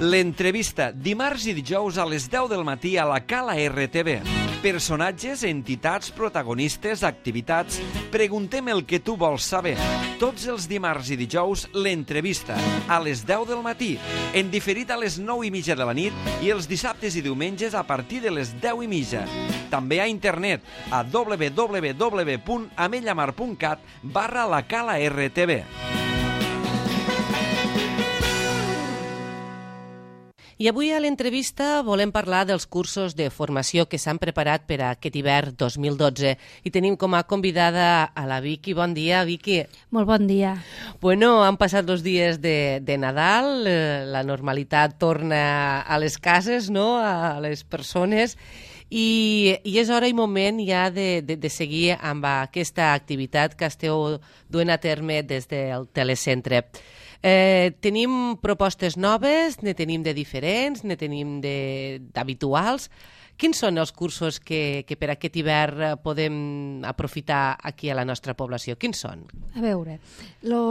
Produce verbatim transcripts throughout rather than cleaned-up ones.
L'entrevista, dimarts i dijous a les deu del matí a la Cala R T V. Personatges, entitats, protagonistes, activitats... Preguntem el que tu vols saber. Tots els dimarts i dijous, l'entrevista, a les deu del matí, en diferit a les nou i mitja de la nit i els dissabtes i diumenges a partir de les deu i mitja. També a internet, a w w w punt amellamar punt cat barra la Cala R T V. I avui a l'entrevista volem parlar dels cursos de formació que s'han preparat per a aquest hivern dos mil dotze i tenim com a convidada a la Vicky. Bon dia, Vicky. Molt bon dia. Bueno, han passat els dies de, de Nadal, eh, la normalitat torna a les cases, no?, a les persones, i, i és hora i moment ja de, de, de seguir amb aquesta activitat que esteu duent a terme des del telecentre. Eh, tenim propostes noves, ne tenim de diferents, ne tenim d'habituals. Quins són els cursos que, que per aquest hivern podem aprofitar aquí a la nostra població? Quins són? A veure, lo,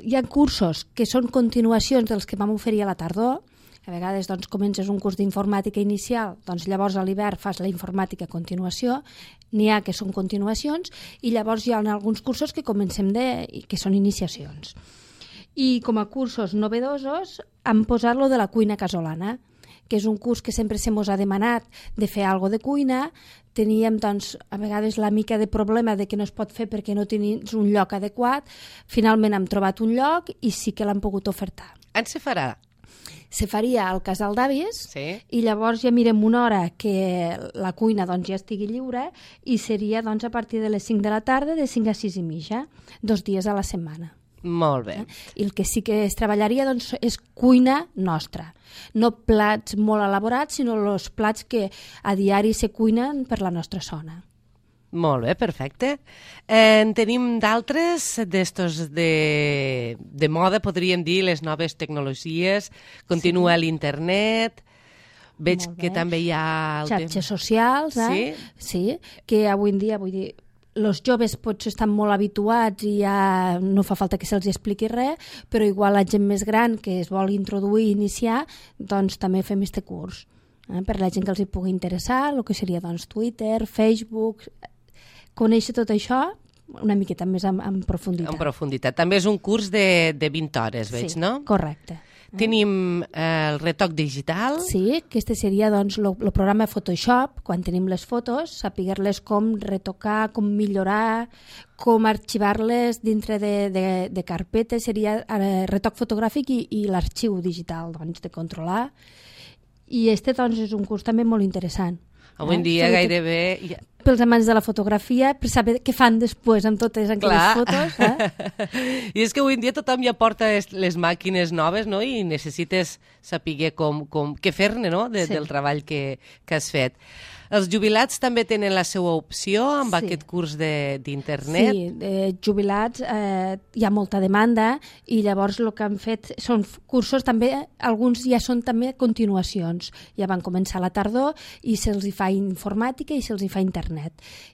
hi ha cursos que són continuacions dels que vam oferir a la tardor. A vegades doncs, comences un curs d'informàtica inicial, doncs llavors a l'hivern fas la informàtica a continuació, n'hi ha que són continuacions, i llavors hi ha alguns cursos que comencem de, que són iniciacions. I com a cursos novedosos han posat lo de la cuina casolana, que és un curs que sempre se mos ha demanat de fer alguna cosa de cuina. Teníem, doncs, a vegades la mica de problema de que no es pot fer perquè no tenies un lloc adequat. Finalment hem trobat un lloc i sí que l'han pogut ofertar. On se farà? Se faria al Casal d'Avis, sí. I llavors ja mirem una hora que la cuina doncs, ja estigui lliure i seria doncs, a partir de les cinc de la tarda, de cinc a sis i mitja, dos dies a la setmana. Molt bé. I el que sí que es treballaria doncs, és cuina nostra. No plats molt elaborats, sinó els plats que a diari se cuinen per la nostra zona. Molt bé, perfecte. Eh, en tenim d'altres, d'estos de, de moda, podríem dir, les noves tecnologies. Continua sí. L'internet. Veig que també hi ha... El xarxes temps... socials, eh? Sí? Sí, que avui en dia, vull dir, els joves potser estan molt habituats i ja no fa falta que se'ls expliqui res, però igual la gent més gran que es vol introduir i iniciar, doncs també fem este curs. Eh? Per la gent que els hi pugui interessar, el que seria doncs, Twitter, Facebook, conèixer tot això una miqueta més en, en profunditat. En profunditat. També és un curs de, de vint hores, veig, sí, no? Correcte. Tenim eh, el retoc digital. Sí, que este seria doncs, el programa Photoshop, quan tenim les fotos, saber-les com retocar, com millorar, com arxivar-les dintre de, de, de carpetes, seria eh, retoc fotogràfic i, i l'arxiu digital, doncs, de controlar. I este doncs, és un curs també molt interessant. Avui en dia eh? gairebé... Pels amants de la fotografia, per saber què fan després amb totes aquelles fotos. Eh? I és que avui en dia tothom ja porta les màquines noves, no?, i necessites saber com, com, què fer-ne, no?, de, sí. del treball que, que has fet. Els jubilats també tenen la seva opció amb sí. aquest curs d'internet? Sí, de jubilats eh, hi ha molta demanda i llavors el que han fet són cursos també, alguns ja són també continuacions. Ja van començar a la tardor i se'ls hi fa informàtica i se'ls hi fa internet.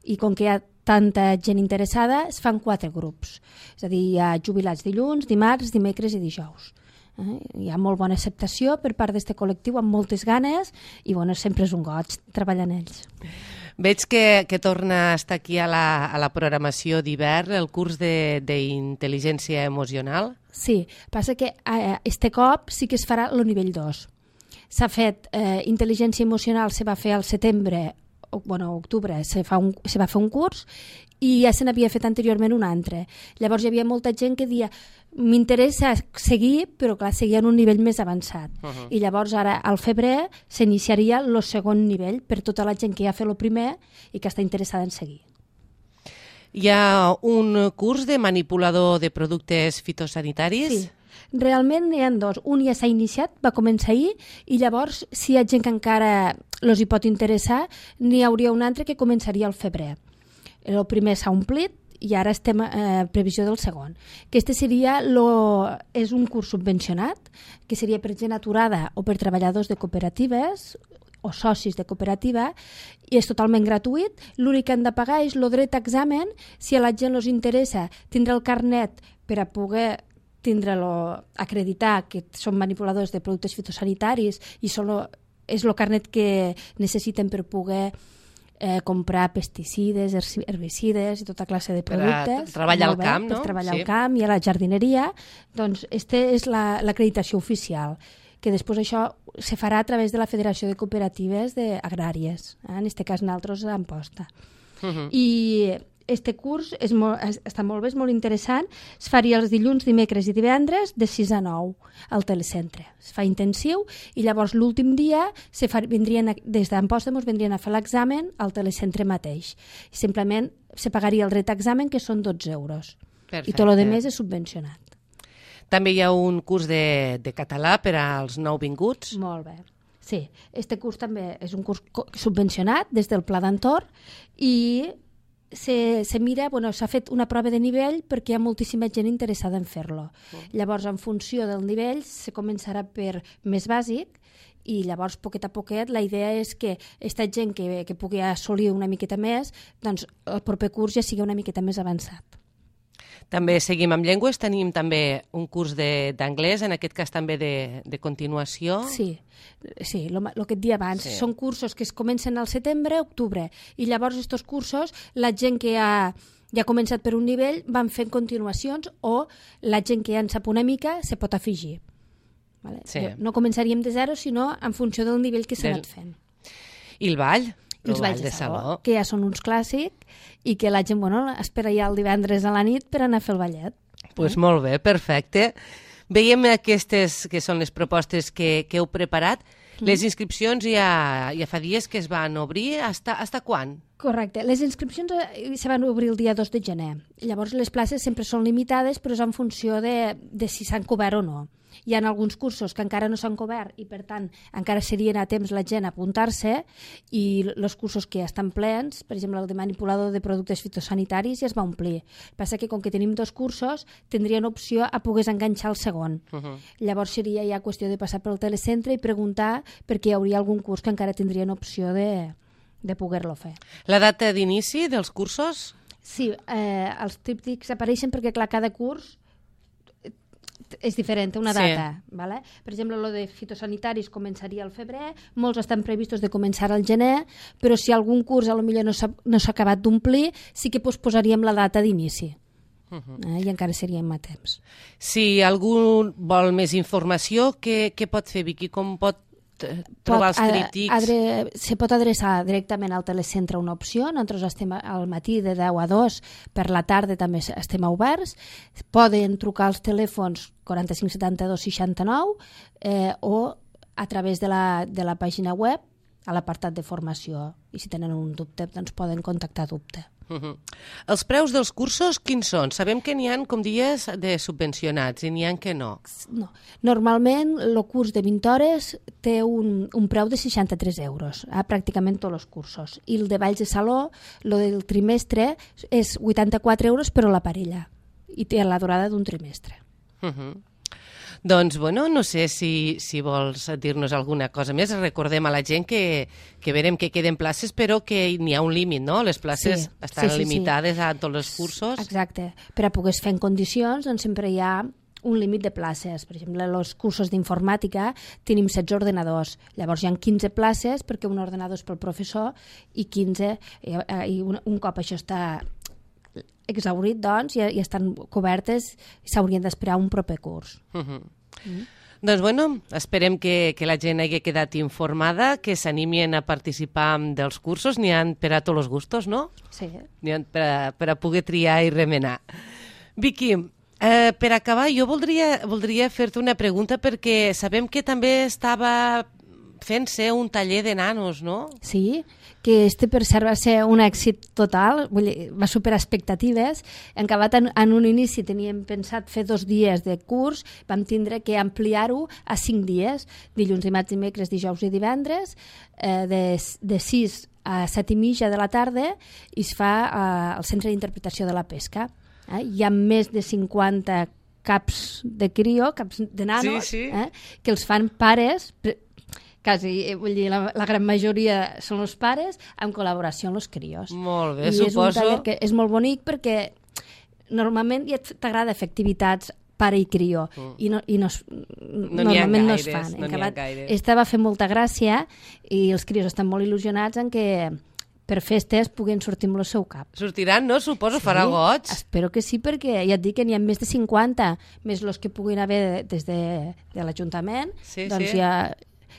I com que hi ha tanta gent interessada, es fan quatre grups. És a dir, hi ha jubilats dilluns, dimarts, dimecres i dijous. Eh? Hi ha molt bona acceptació per part d'aquest col·lectiu, amb moltes ganes, i bueno, sempre és un goig treballar en ells. Veig que, que torna a estar aquí a la, a la programació d'hivern el curs d'intel·ligència emocional. Sí, passa que eh, este cop sí que es farà el nivell dos. S'ha fet eh, intel·ligència emocional, se va fer al setembre, o, bueno, octubre, se, fa un, se va fer un curs, i ja se n'havia fet anteriorment un altre. Llavors hi havia molta gent que dia m'interessa seguir, però clar, seguia en un nivell més avançat. Uh -huh. I llavors ara, al febrer, s'iniciaria el segon nivell per tota la gent que ja ha fet el primer i que està interessada en seguir. Hi ha un curs de manipulador de productes fitosanitaris? Sí. Realment n'hi ha dos. Un ja s'ha iniciat, va començar ahir, i llavors, si hi ha gent que encara els hi pot interessar, n'hi hauria un altre que començaria al febrer. El primer s'ha omplit i ara estem a eh, previsió del segon. Aquest seria lo, és un curs subvencionat, que seria per gent aturada o per treballadors de cooperatives o socis de cooperativa, i és totalment gratuït. L'únic que han de pagar és el dret a examen. Si a la gent els interessa tindre el carnet per a poder tindre-lo, acreditar que són manipuladors de productes fitosanitaris i solo, és el carnet que necessiten per poder eh, comprar pesticides, herbicides i tota classe de productes. Per treballar al bé, camp, no? Per treballar Sí. al camp i a la jardineria. Doncs aquesta és la, l'acreditació oficial, que després això se farà a través de la Federació de Cooperatives de Agràries, eh? En aquest cas nosaltres a Amposta. Uh-huh. I este curs és molt, està molt bé, és molt interessant. Es faria els dilluns, dimecres i divendres de sis a nou al telecentre. Es fa intensiu i llavors l'últim dia se fa, vindrien, des d'Amposta ens vindrien a fer l'examen al telecentre mateix. Simplement se pagaria el retexamen, que són dotze euros. Perfecte. I tot el de més és subvencionat. També hi ha un curs de, de català per als nouvinguts. Molt bé. Sí, este curs també és un curs subvencionat des del Pla d'Entorn i se, se mira, bueno, s'ha fet una prova de nivell perquè hi ha moltíssima gent interessada en fer-lo. Oh. Llavors, en funció del nivell, se començarà per més bàsic i llavors, poquet a poquet, la idea és que aquesta gent que, que pugui assolir una miqueta més, doncs el proper curs ja sigui una miqueta més avançat. També seguim amb llengües, tenim també un curs de- d'anglès, en aquest cas també de, de continuació. Sí, sí, el que et dia abans. Sí. Són cursos que es comencen al setembre, octubre, i llavors aquests cursos, la gent que ha, ja ha començat per un nivell van fent continuacions o la gent que ja en sap una mica se pot afegir. Vale? Sí. No començaríem de zero, sinó en funció del nivell que s'ha Del- anat fent. I el ball? I els balls de saló, que ja són uns clàssics i que la gent, bueno, espera ja el divendres a la nit per anar a fer el ballet. Doncs pues molt bé, perfecte. Veiem aquestes que són les propostes que, que heu preparat. Les inscripcions ja, ja fa dies que es van obrir. Hasta, hasta quan? Correcte. Les inscripcions eh, se van obrir el dia dos de gener. Llavors les places sempre són limitades, però és en funció de, de si s'han cobert o no. Hi ha alguns cursos que encara no s'han cobert i, per tant, encara serien a temps la gent a apuntar-se, i els cursos que ja estan plens, per exemple, el de manipulador de productes fitosanitaris, ja es va omplir. Passa que, com que tenim dos cursos, tindrien opció a poder enganxar el segon. Uh -huh. Llavors seria ja qüestió de passar pel telecentre i preguntar perquè hi hauria algun curs que encara tindrien opció de, de poder-lo fer. La data d'inici dels cursos? Sí, eh, els tríptics apareixen perquè, clar, cada curs és diferent, una Sí. data. ¿Vale? Per exemple, lo de fitosanitaris començaria al febrer, molts estan previstos de començar al gener, però si algun curs a lo millor no s'ha no s'ha acabat d'omplir, sí que posposaríem la data d'inici. Uh -huh. eh, I encara seríem a temps. Si algú vol més informació, què, què pot fer, Vicky? Com pot eh, trobar Pot, els tríptics? adre, se pot adreçar directament al telecentre, una opció. Nosaltres estem al matí de deu a dos, per la tarda també estem oberts. Poden trucar als telèfons quaranta-cinc setanta-dos seixanta-nou eh, o a través de la, de la pàgina web a l'apartat de formació. I si tenen un dubte, doncs poden contactar dubte. Uh -huh. Els preus dels cursos quins són? Sabem que n'hi ha, com dies, de subvencionats i n'hi ha que no. No. Normalment el curs de vint hores té un, un preu de seixanta-tres euros, a pràcticament tots els cursos. I el de balls de saló, el del trimestre, és vuitanta-quatre euros però la parella. I té la durada d'un trimestre. Uh -huh. Doncs, bueno, no sé si, si vols dir-nos alguna cosa més. Recordem a la gent que, que verem que queden places, però que n'hi ha un límit, no? Les places Sí, estan sí, sí, limitades sí. a tots els cursos. Exacte. Per a poder fer en condicions, doncs sempre hi ha un límit de places. Per exemple, els cursos d'informàtica tenim setze ordenadors. Llavors hi ha quinze places perquè un ordenador és pel professor i quinze, i, i un, un cop això està exhaurit, doncs, ja, ja estan cobertes i s'haurien d'esperar un proper curs. Uh -huh. mm. Doncs, bueno, esperem que, que la gent hagi quedat informada, que s'animin a participar dels cursos. N'hi ha per a tots els gustos, no? Sí. N'hi ha per a, per a poder triar i remenar. Vicky, eh, per acabar, jo voldria, voldria fer-te una pregunta perquè sabem que també estava fent-se un taller de nanos, no? Sí, que este per cert va ser un èxit total, vull dir, va superar expectatives. En acabat en, en un inici teníem pensat fer dos dies de curs, vam tindre que ampliar-ho a cinc dies, dilluns, dimarts, dimecres, dijous i divendres, eh, de, de sis a set i mitja de la tarda, i es fa eh, al Centre d'Interpretació de la Pesca. Eh? Hi ha més de cinquanta caps de crio, caps de nanos, sí, sí. Eh? que els fan pares, quasi, vull dir, la, la gran majoria són els pares, en col·laboració amb els crios. Molt bé, I suposo. és un taller que és molt bonic perquè normalment ja t'agrada fer activitats pare i crió, mm. i, no, i no, no normalment no gaires, es fan. No en acabat, gaires. Esta va fer molta gràcia i els crios estan molt il·lusionats en que per festes puguen sortir amb el seu cap. Sortiran, no? Suposo, sí, farà goig. Espero que sí, perquè ja et dic que n'hi ha més de cinquanta, més els que puguin haver des de, de l'Ajuntament, sí, doncs sí. ja...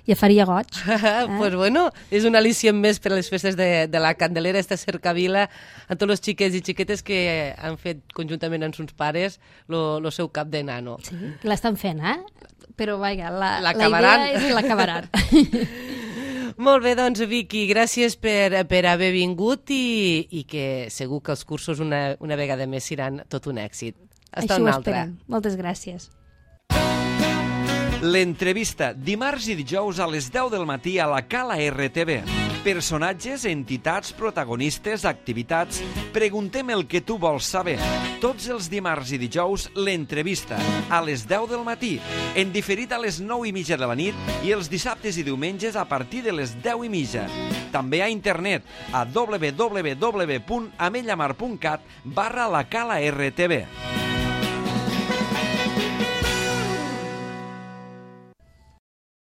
ja faria goig. Eh? Pues bueno, és un al·licient més per a les festes de, de la Candelera, esta cercavila, a tots els xiquets i xiquetes que han fet conjuntament amb sus pares el seu cap de nano. Sí, l'estan fent, eh? Però, vaja, la, la idea és que l'acabaran. Molt bé, doncs, Vicky, gràcies per, per haver vingut i, i que segur que els cursos una, una vegada més seran tot un èxit. Hasta Això una ho altra. esperem. Moltes gràcies. L'entrevista, dimarts i dijous a les deu del matí a la Cala R T V. Personatges, entitats, protagonistes, activitats... Preguntem el que tu vols saber. Tots els dimarts i dijous, l'entrevista, a les deu del matí, en diferit a les nou i mitja de la nit i els dissabtes i diumenges a partir de les deu i mitja. També a internet, a w w w punt amellamar punt cat barra la Cala R T V.